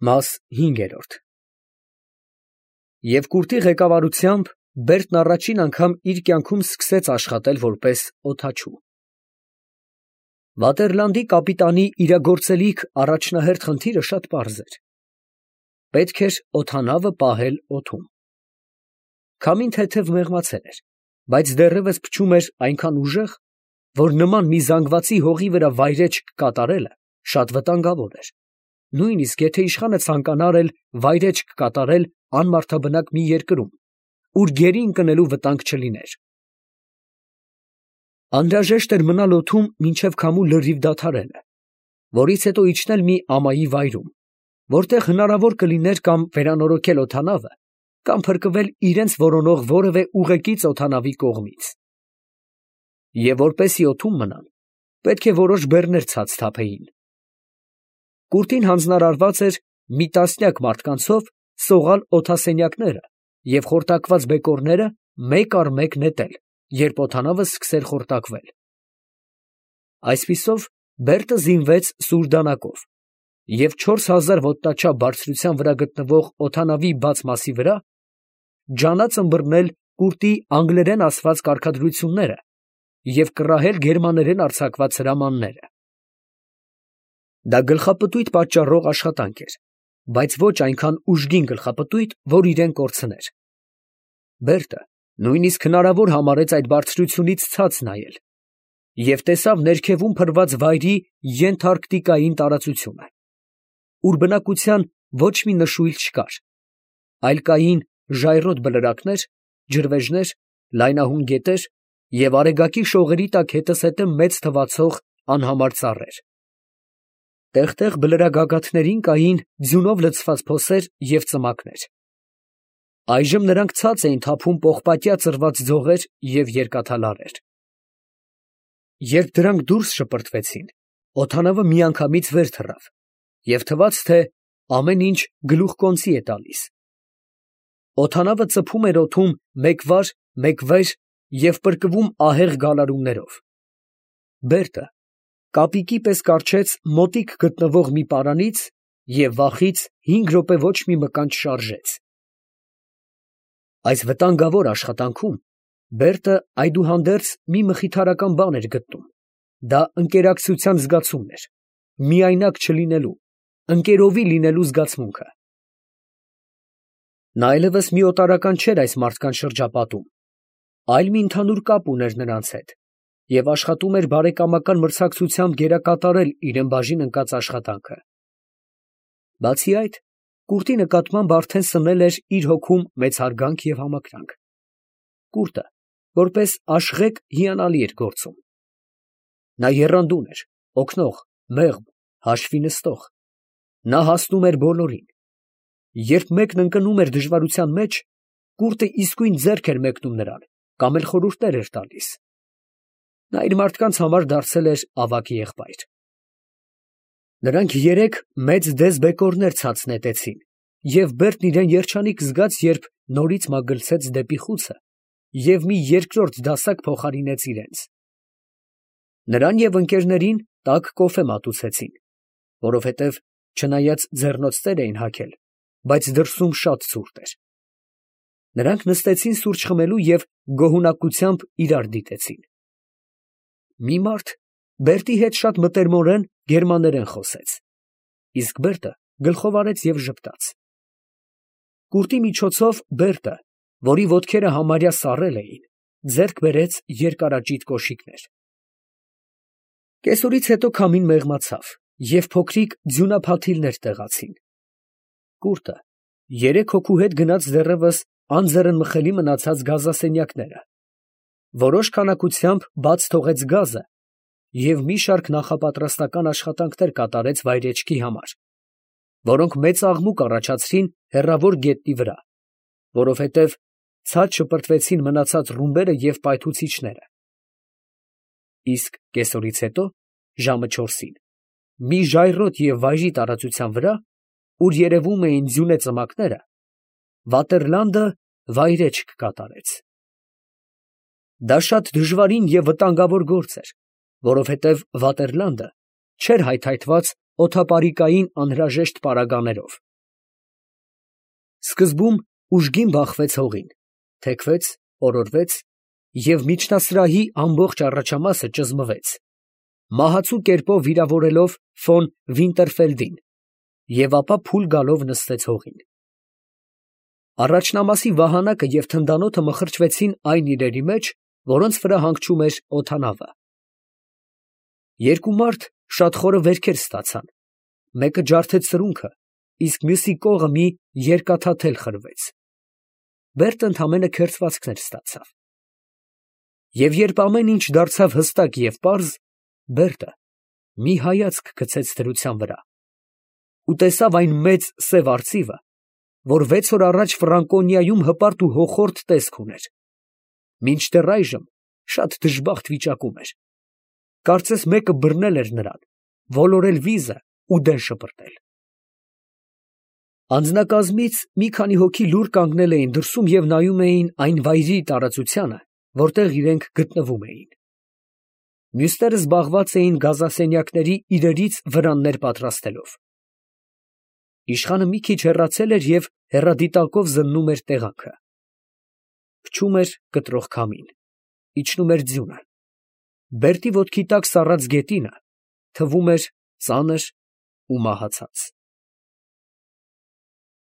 Մաս 5 Եվ կուրտի ղեկավարությամբ Բերդն առաջին անգամ իր կյանքում սկսեց աշխատել որպես օդաչու։ Վատերլանդի կապիտանի իրագործելիք առաջնահերթ խնդիրը շատ պարզ էր. պետք էր օդանավը պահել օդում։ Քամին թեթև մեղմացել էր, բայց դեռևս փչում էր այնքան ուժեղ, որ նման մի զանգվածի հողի վրա վայրէջք կատարելը շատ վտանգավոր էր, նույնիսկ եթե իշխանը ցանկանար էլ վայրէջք կատարել անմարդաբնակ մի երկրում, ուր գերի ընկնելու վտանգ չլիներ։ Անհրաժեշտ էր մնալ օդում մինչև քամու լրիվ դադարելը, որից հետո իջնել մի ամայի վայրում, որտեղ հնարավոր կլիներ կամ վերանորոգել օդանավը, կամ փրկվել իրենց որոնող որևէ ուղեկից օդանավի կողմից։ Եվ որպեսզի օդում մնան, պետք է որոշ բեռներ ցած թափեին։ Կուրտին հանձնարարված էր մի տասնյակ մարդկանցով սողալ օդասենյակները և խորտակված բեկորները մեկ առ մեկ նետել, երբ օդանավը սկսեր խորտակվել։ Այսպիսով Բերդը զինվեց սուր դանակով և 4000 ոտնաչափ բարձրության վրա գտնվող օդանավի բաց մասի վրա ջանաց ըմբռնել կուրտի անգլերեն ասված կարգադրությունները և կռահել գերմաներեն արձակված հրամանները։ Դա գլխապտույտ պատճառող աշխատանք էր, բայց ոչ այնքան ուժգին գլխապտույտ, որ իրեն կորցներ։ Բերդը նույնիսկ հնարավոր համարեց այդ բարձրությունից ցած նայել և տեսավ ներքևում փռված վայրի ենթարկտիկային տարածությունը, ուր բնակության ոչ մի նշույլ չկար, այլ կային ժայռոտ բլրակներ, ջրվեժներ, լայնահուն գետեր և արեգակի շողերի տակ հետզհետե մեծ թվացող անհամար ծառեր։ Տեղ֊տեղ բլրագագաթներին կային ձյունով լցված փոսեր և ծմակներ։ Այժմ նրանք ցած էին թափում պողպատյա ծռված ձողեր և երկաթալարեր։ Երբ դրանք դուրս շպրտվեցին, օդանավը միանգամից վեր թռավ և թվաց, թե ամեն ինչ գլուխկոնծի է տալիս։ Օդանավը ծփում էր օդում մեկ վար, մեկ վեր և պրկվում ահեղ գալարումներով։ Բերդը կապիկի պես կառչեց մոտիկ գտնվող մի պարանից և վախից 5 րոպե ոչ մի մկան չշարժեց։ Այս վտանգավոր աշխատանքում Բերդը այդուհանդերձ մի մխիթարական բան էր գտնում. դա ընկերակցության զգացումն էր, միայնակ չլինելու, ընկերովի լինելու զգացմունքը։ Նա այլևս մի օտարական չէր այս մարդկանց շրջապատում, այլ մի ընդհանուր կապ ուներ նրանց հետ և աշխատում էր բարեկամական մրցակցությամբ գերակատարել իրան բաժին ընկած աշխատանքը։ Բացի այդ, կուրտի նկատմամբ արդեն սնել էր իր հոգում մեծ հարգանք և համակրանք։ Կուրտը, որպես աշխղեկ, հիանալի էր գործում։ Նա եռանդուն էր, օգնող, մեղմ, հաշվի նստող։ Նա հասնում էր բոլորին։ Երբ մեկն ընկնում էր դժվարության մեջ, կուրտը իսկույն ձեռք էր մեկնում նրան կամ էլ խորհուրդներ էր տալիս։ Նա իր մարդկանց համար դարձել էր ավագ եղբայր։ Նրանք երեք մեծ դես բեկորներ ցած նետեցին, և Բերդն իրան երջանիկ զգաց, երբ նորից մագլցեց դեպի խուցը և մի երկրորդ դասակ փոխարինեց իրենց։ Նրան և ընկերներին տաք կոֆե մատուցեցին, որովհետև չնայած ձեռնոց ծեր էին հագել, բայց դրսում շատ ցուրտ էր։ Նրանք նստեցին սուրճ խմելու և գոհունակությամբ իրար դիտեցին։ Մի մարդ Բերդի հետ շատ մտերմորեն գերմաներեն խոսեց, իսկ Բերդը գլխով արեց և ժպտաց։ Կուրտի միջոցով Բերդը, որի ոտքերը համարյա սառել էին, ձեռք բերեց երկարաճիտ կոշիկներ։ Կեսօրից հետո քամին մեղմացավ և փոքրիկ ձյունափաթիլներ տեղացին։ Կուրտը 3 հոգու հետ գնաց դեռևս անձեռնմխելի մնացած գազասենյակները, որոշ քանակությամբ բաց թողեց գազը և մի շարք նախապատրաստական աշխատանքներ կատարեց վայրէջքի համար, որոնք մեծ աղմուկ առաջացրին հեռավոր գետնի վրա, որովհետև ցած շպրտվեցին մնացած ռումբերը և պայթուցիչները։ Իսկ կեսօրից հետո, ժամը 4-ին, մի ժայռոտ և վայրի տարածության վրա, ուր երևում էին ձյունե ծմակները, Վատերլանդը վայրէջք կատարեց։ Դա շատ դժվարին և վտանգավոր գործ էր, որովհետև Վատերլանդը չէր հայթայթված օդապարիկային անհրաժեշտ պարագաներով, Սկզբում ուժգին բախվեց հողին, թեքվեց, օրորվեց և միջնասրահի ամբողջ առաջամասը ճզմվեց, մահացու կերպով վիրավորելով ֆոն Վինտերֆելդին, և ապա փուլ գալով նստեց հողին։ Առաջնամասի վահանակը և թնդանոթը մխրճվեցին այն իրերի մեջ, որոնց վրա հանգչում էր օդանավը։ Երկու մարդ շատ խորը վերքեր ստացան, մեկը ջարդեց սրունքը, իսկ մյուսի կողը մի երկաթաթել խրվեց. Բերտը ընդամենը քերծվածքներ ստացավ։ Եվ երբ ամեն ինչ դարձավ հստակ և պարզ, Բերտը մի հայացք գցեց դրության վրա ու տեսավ այն մեծ սև արծիվը, որ 6 օր առաջ Ֆրանկոնիայում հպարտ ու հոխորտ տեսք ուներ, մինչդեռ այժմ շատ դժբախտ վիճակում էր. կարծես մեկը բռնել էր նրան, ոլորել վիզը ու դեն շպրտել։ Անձնակազմից մի քանի հոգի լուռ կանգնել էին դրսում և նայում էին այն վայրի տարածությանը, որտեղ իրենք գտնվում էին։ Մյուսները զբաղված էին գազասենյակների իրերից վրաններ պատրաստելով։ Իշխանը մի քիչ հեռացել էր և հեռադիտակով զննում էր տեղանքը։ Փչում էր կտրող քամին, իջնում էր ձյունը։ Բերտի ոտքի տակ սառած գետինը թվում էր ծանր ու մահացած։